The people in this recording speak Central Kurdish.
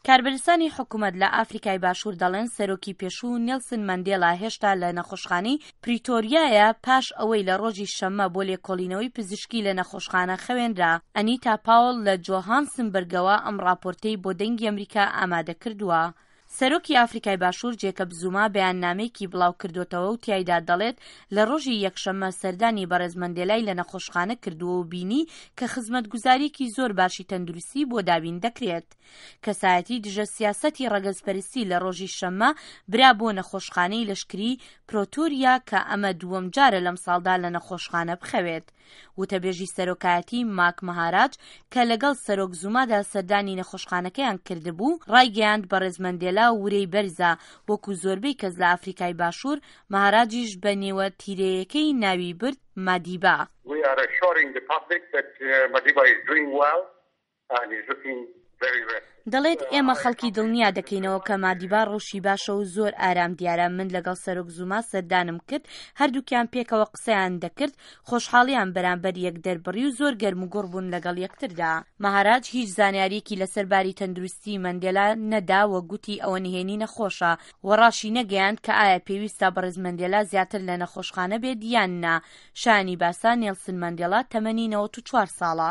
کاربەدەستانی حکومەت لە ئافریکای باشوور دەڵێن سەرۆکی پێشوو نێلسن مەندێلا هێشتا لە نەخۆشخانەی پریتۆریایە پاش ئەوەی لە ڕۆژی شەممە بۆ لێکۆڵینەوەی پزیشکی لە نەخۆشخانە خەوێنرا. ئەنیتا پاوڵ لە جۆهانسنبرگەوە ئەم ڕاپۆرتەی بۆ دەنگی ئەمریکا ئامادە کردووە. سەرۆکی ئافریکای باشوور جێکەب زوما بەیاننامەیەکی بڵاوکردۆتەوە و تیایدا دەڵێت لە ڕۆژی یەکشەممە سەردانی بەڕێز مەندێلای لە نەخۆشخانە کردووە و بینی کە خزمەتگوزارییەکی زۆر باشی تەندروستی بۆ دابین دەکرێت. کەسایەتی دژە سیاسەتی ڕەگەزپەرستی لە ڕۆژی شەممە برا بۆ نەخۆشخانەی لەشکری پرۆتۆریا کە ئەمە دووەم جارە لەمساڵدا لە نەخۆشخانە بخەوێت. وتەبێژی سەرۆکایەتی ماک مەهاراج کە لەگەڵ سەرۆک زومادا سەردانی نەخۆشخانەکەیان کردبوو، ڕایگەیاند بەڕێز مەندێلا ورەی بەرزە، وەکو زۆربەی کەس لە ئافریکای باشوور، مەهاراجیش بە نێوە تیرەیەکەی ناوی برد مادیبا. We are assuring the public that Madiba is doing well and is looking very rested. دەڵێت ئێمە خەڵکی دڵنیا دەکەینەوە کە مادیبا ڕەوشی باشە و زۆر ئارام دیارە، من لەگەڵ سەرۆک زوما سەردانم کرد، هەردووکیان پێکەوە قسەیان دەکرد، خۆشحاڵیان بەرامبەر یەک دەربڕی و زۆر گەرموگوڕ بوون لەگەڵ یەکتردا. مەهاراج هیچ زانیارییەکی لەسەر باری تەندروستیی مەندێلا نەدا و گوتی ئەوە نهێنی نەخۆشە و ڕاشی نەگەیاند کە ئایا پێویستە بەڕێز مەندێلا زیاتر لە نەخۆشخانە بێت یان نا. شایانی باسە نێڵسن مەندێلا تەمەنی 94 ساڵە.